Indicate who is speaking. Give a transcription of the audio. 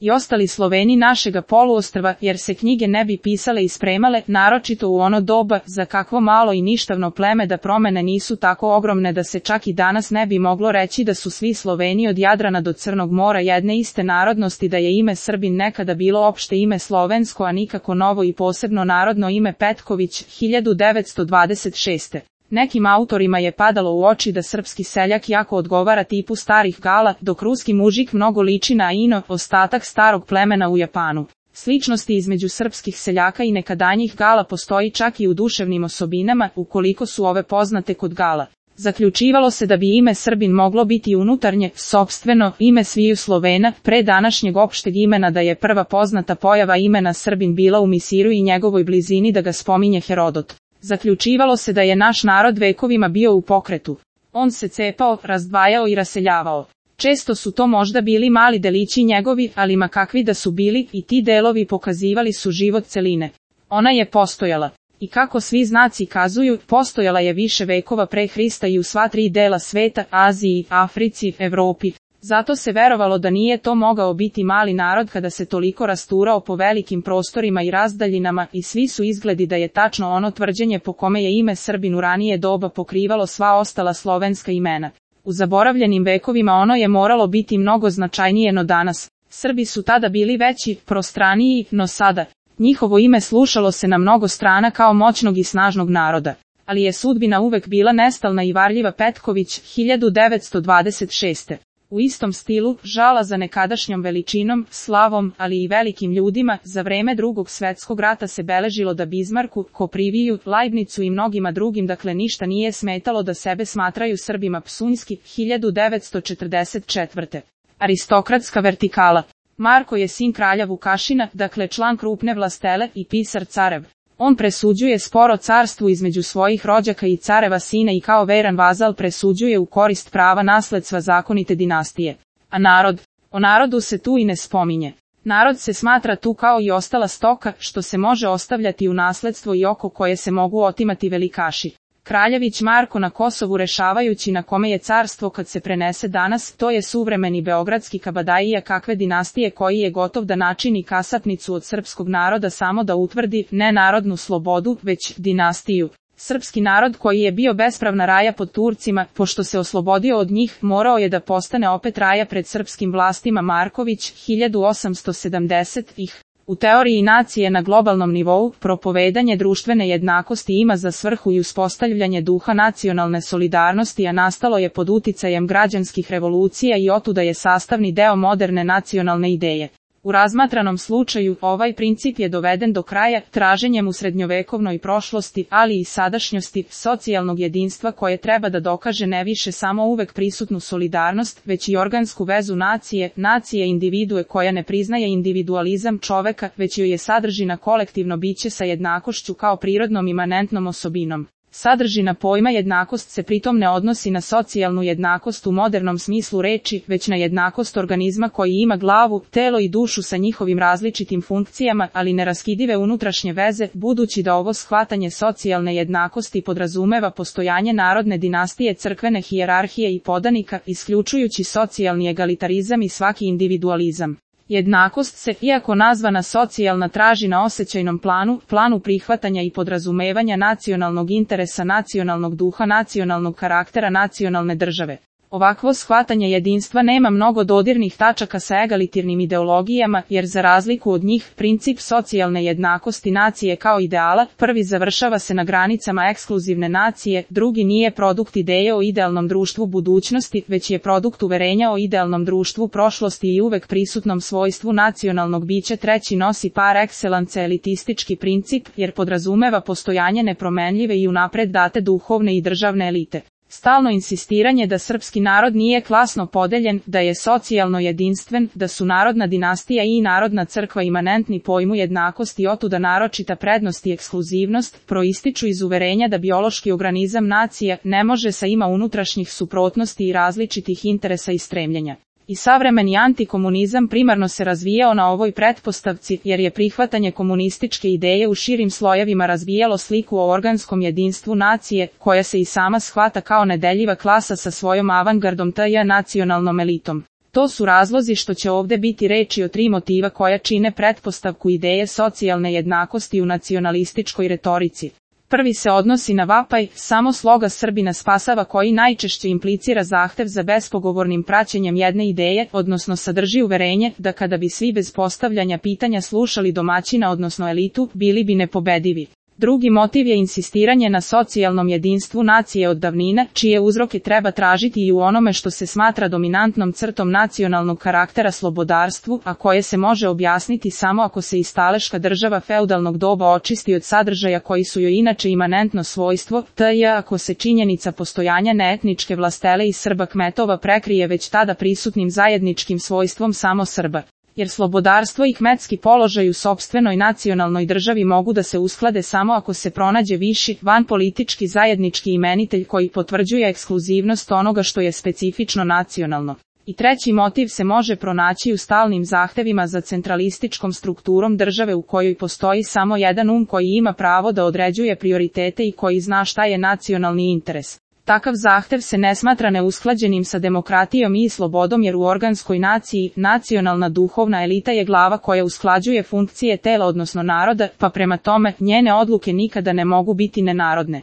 Speaker 1: i ostali Sloveni našega poluostrva, jer se knjige ne bi pisale i spremale, naročito u ono doba, za kakvo malo i ništavno pleme da promene nisu tako ogromne da se čak i danas ne bi moglo reći da su svi Sloveni od Jadrana do Crnog mora jedne iste narodnosti, da je ime Srbin nekada bilo opšte ime slovensko, a nikako novo i posebno narodno ime Petković, 1926. Nekim autorima je padalo u oči da srpski seljak jako odgovara tipu starih Gala, dok ruski mužik mnogo liči na Aino, ostatak starog plemena u Japanu. Sličnosti između srpskih seljaka i nekadanjih Gala postoji čak i u duševnim osobinama, ukoliko su ove poznate kod Gala. Zaključivalo se da bi ime Srbin moglo biti unutarnje, sopstveno, ime sviju Slovena, pre današnjeg opšteg imena, da je prva poznata pojava imena Srbin bila u Misiru i njegovoj blizini, da ga spominje Herodot. Zaključivalo se da je naš narod vekovima bio u pokretu. On se cepao, razdvajao i raseljavao. Često su to možda bili mali delići njegovi, ali ma kakvi da su bili, i ti delovi pokazivali su život celine. Ona je postojala. I kako svi znaci kazuju, postojala je više vekova pre Hrista i u sva tri dela sveta, Aziji, Africi, Evropi. Zato se verovalo da nije to mogao biti mali narod kada se toliko rasturao po velikim prostorima i razdaljinama, i svi su izgledi da je tačno ono tvrđenje po kome je ime Srbin u ranije doba pokrivalo sva ostala slovenska imena. U zaboravljenim vekovima ono je moralo biti mnogo značajnije no danas. Srbi su tada bili veći, prostraniji, no sada njihovo ime slušalo se na mnogo strana kao moćnog i snažnog naroda. Ali je sudbina uvek bila nestalna i varljiva. Petković, 1926. U istom stilu, žala za nekadašnjom veličinom, slavom, ali i velikim ljudima, za vreme Drugog svetskog rata se beležilo da Bizmarku, Kopriviju, Leibnicu i mnogima drugim dakle ništa nije smetalo da sebe smatraju Srbima. Psunjski, 1944. Aristokratska vertikala. Marko je sin kralja Vukašina, dakle član krupne vlastele, i pisar carev. On presuđuje sporo carstvu između svojih rođaka i careva sina i kao veran vazal presuđuje u korist prava nasledstva zakonite dinastije. A narod? O narodu se tu i ne spominje. Narod se smatra tu kao i ostala stoka, što se može ostavljati u nasledstvo i oko koje se mogu otimati velikaši. Kraljević Marko na Kosovu, rešavajući na kome je carstvo kad se prenese danas, to je suvremeni beogradski kabadajija kakve dinastije, koji je gotov da načini kasapnicu od srpskog naroda samo da utvrdi ne narodnu slobodu, već dinastiju. Srpski narod koji je bio bespravna raja pod Turcima, pošto se oslobodio od njih, morao je da postane opet raja pred srpskim vlastima. Marković, 1870. U teoriji nacije na globalnom nivou, propovedanje društvene jednakosti ima za svrhu i uspostavljanje duha nacionalne solidarnosti, a nastalo je pod uticajem građanskih revolucija i otuda je sastavni deo moderne nacionalne ideje. U razmatranom slučaju, ovaj princip je doveden do kraja traženjem u srednjovekovnoj prošlosti, ali i sadašnjosti, socijalnog jedinstva koje treba da dokaže ne više samo uvek prisutnu solidarnost, već i organsku vezu nacije individue koja ne priznaje individualizam čoveka, već joj je sadržina kolektivno biće sa jednakošću kao prirodnom imanentnom osobinom. Sadržina pojma jednakost se pritom ne odnosi na socijalnu jednakost u modernom smislu reči, već na jednakost organizma koji ima glavu, telo i dušu sa njihovim različitim funkcijama, ali neraskidive unutrašnje veze, budući da ovo shvatanje socijalne jednakosti podrazumeva postojanje narodne dinastije, crkvene hijerarhije i podanika, isključujući socijalni egalitarizam i svaki individualizam. Jednakost se, iako nazvana socijalna, traži na osjećajnom planu prihvatanja i podrazumevanja nacionalnog interesa, nacionalnog duha, nacionalnog karaktera nacionalne države. Ovakvo shvatanje jedinstva nema mnogo dodirnih tačaka sa egalitarnim ideologijama, jer za razliku od njih, princip socijalne jednakosti nacije kao ideala, prvi završava se na granicama ekskluzivne nacije, drugi nije produkt ideje o idealnom društvu budućnosti, već je produkt uverenja o idealnom društvu prošlosti i uvek prisutnom svojstvu nacionalnog bića, treći nosi par excellence elitistički princip, jer podrazumeva postojanje nepromenljive i unapred date duhovne i državne elite. Stalno insistiranje da srpski narod nije klasno podeljen, da je socijalno jedinstven, da su narodna dinastija i narodna crkva imanentni pojmu jednakosti i otuda naročita prednost i ekskluzivnost, proističu iz uverenja da biološki organizam nacija ne može sa ima unutrašnjih suprotnosti i različitih interesa i stremljenja. I savremeni antikomunizam primarno se razvijao na ovoj pretpostavci, jer je prihvatanje komunističke ideje u širim slojevima razvijalo sliku o organskom jedinstvu nacije, koja se i sama shvata kao nedeljiva klasa sa svojom avangardom tj. nacionalnom elitom. To su razlozi što će ovde biti reči o 3 motiva koja čine pretpostavku ideje socijalne jednakosti u nacionalističkoj retorici. Prvi se odnosi na vapaj, samo sloga Srbina spasava, koji najčešće implicira zahtev za bespogovornim praćenjem jedne ideje, odnosno sadrži uverenje da kada bi svi bez postavljanja pitanja slušali domaćina odnosno elitu, bili bi nepobedivi. Drugi motiv je insistiranje na socijalnom jedinstvu nacije od davnine, čije uzroke treba tražiti i u onome što se smatra dominantnom crtom nacionalnog karaktera slobodarstvu, a koje se može objasniti samo ako se istaleška država feudalnog doba očisti od sadržaja koji su joj inače imanentno svojstvo, t.j. ako se činjenica postojanja neetničke vlastele i Srba kmetova prekrije već tada prisutnim zajedničkim svojstvom samo Srba. Jer slobodarstvo i kmetski položaj u sopstvenoj nacionalnoj državi mogu da se usklade samo ako se pronađe viši, vanpolitički zajednički imenitelj koji potvrđuje ekskluzivnost onoga što je specifično nacionalno. I treći motiv se može pronaći u stalnim zahtevima za centralističkom strukturom države u kojoj postoji samo jedan koji ima pravo da određuje prioritete i koji zna šta je nacionalni interes. Takav zahtev se ne smatra neusklađenim sa demokratijom i slobodom, jer u organskoj naciji, nacionalna duhovna elita je glava koja usklađuje funkcije tela odnosno naroda, pa prema tome, njene odluke nikada ne mogu biti nenarodne.